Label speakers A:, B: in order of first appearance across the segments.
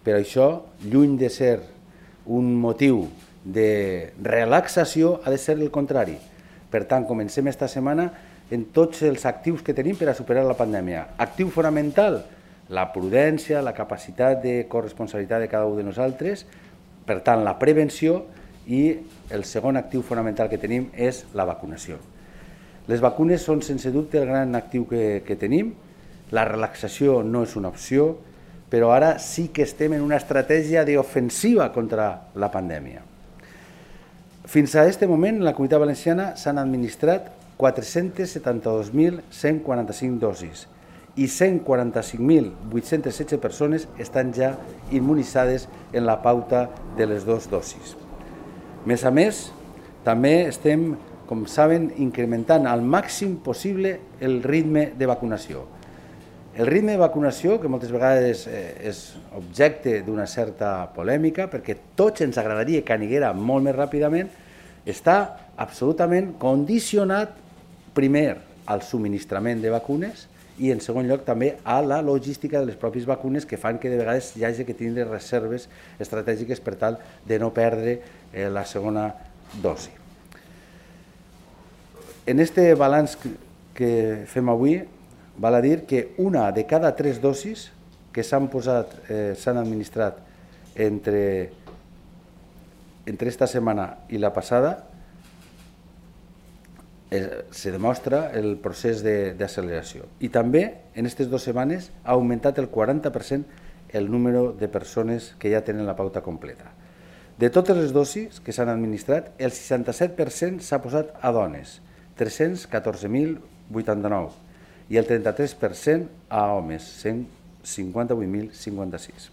A: però això, lluny de ser un motiu de relaxació, ha de ser el contrari. Per tant, comencem esta setmana en tots els actius que tenim per a superar la pandèmia. Actiu fonamental, la prudència, la capacitat de corresponsabilitat de cada un de nosaltres, per tant, la prevenció, i el segon actiu fonamental que tenim és la vacunació. Les vacunes són, sense dubte, el gran actiu que tenim. La relaxació no és una opció, però ara sí que estem en una estratègia d'ofensiva contra la pandèmia. Fins a aquest moment, en la Comunitat Valenciana s'han administrat 472.145 dosis i 145.816 persones estan ja immunitzades en la pauta de les dues dosis. Més a més, també estem, com saben, incrementant al màxim possible el ritme de vacunació. El ritme de vacunació, que moltes vegades és objecte d'una certa polèmica, perquè tots ens agradaria que aniguera molt més ràpidament, està absolutament condicionat, primer, al subministrament de vacunes i, en segon lloc, també a la logística de les pròpies vacunes, que fan que de vegades hi hagi que tindre reserves estratègiques per tal de no perdre la segona dosi. En aquest balanç que fem avui, val a dir que una de cada 3 dosis que s'han administrat entre esta setmana i la passada se demostra el procés d'acceleració. I també, en aquestes 2 setmanes, ha augmentat el 40% el número de persones que ja tenen la pauta completa. De totes les dosis que s'han administrat, el 67% s'ha posat a dones, 314.089, i el 33% a homes, 158.056.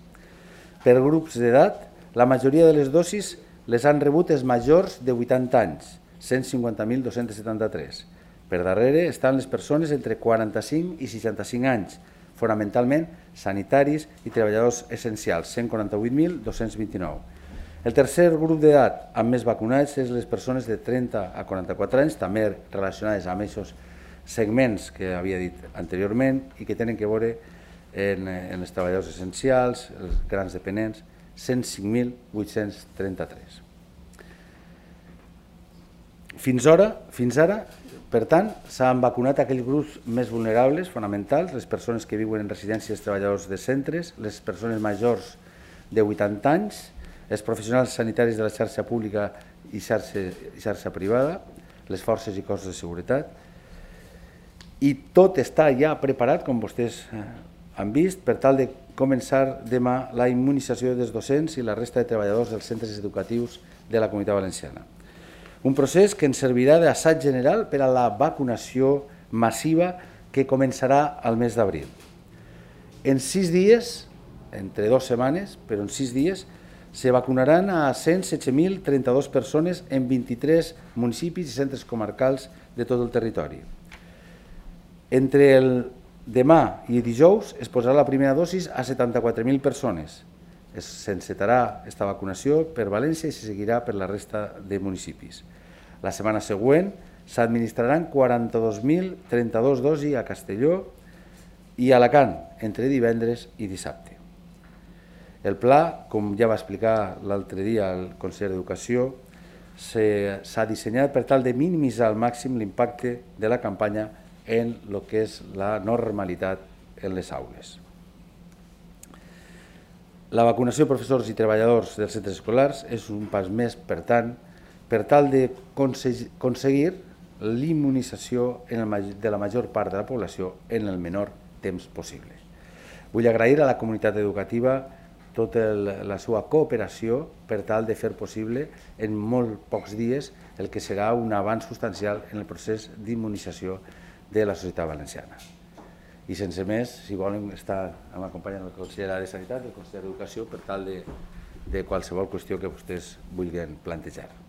A: Per grups d'edat, la majoria de les dosis les han rebut els majors de 80 anys, 150.273. Per darrere estan les persones entre 45 i 65 anys, fonamentalment sanitaris i treballadors essencials, 148.229. El tercer grup d'edat amb més vacunats és les persones de 30 a 44 anys, també relacionades amb aquests segments que havia dit anteriorment i que tenen que veure en els treballadors essencials, els grans dependents, 105.833. Fins ara, per tant, s'han vacunat aquells grups més vulnerables, fonamentals, les persones que viuen en residències, treballadors de centres, les persones majors de 80 anys, els professionals sanitaris de la xarxa pública i xarxa privada, les forces i cossos de seguretat, i tot està ja preparat, com vostès han vist, per tal de començar demà la immunització dels docents i la resta de treballadors dels centres educatius de la Comunitat Valenciana. Un procés que ens servirà d'assaig general per a la vacunació massiva que començarà al mes d'abril. En 6 dies, entre 2 setmanes, però en 6 dies, se vacunaran a 116.032 persones en 23 municipis i centres comarcals de tot el territori. Entre el demà i dijous es posarà la primera dosis a 74.000 persones. S'encetarà aquesta vacunació per València i se seguirà per la resta de municipis. La setmana següent s'administraran 42.032 dosis a Castelló i a Alacant entre divendres i dissabte. El pla, com ja va explicar l'altre dia el conseller d'Educació, s'ha dissenyat per tal de minimitzar al màxim l'impacte de la campanya en el que és la normalitat en les aules. La vacunació de professors i treballadors dels centres escolars és un pas més, per tant, per tal d'aconseguir l'immunització de la major part de la població en el menor temps possible. Vull agrair a la comunitat educativa tota la seva cooperació per tal de fer possible en molt pocs dies el que serà un avanç substancial en el procés d'immunització de la societat valenciana. I sense més, si volen estar acompanyant el conseller de Sanitat i el conseller d'Educació per tal de qualsevol qüestió que vostès vulguin plantejar.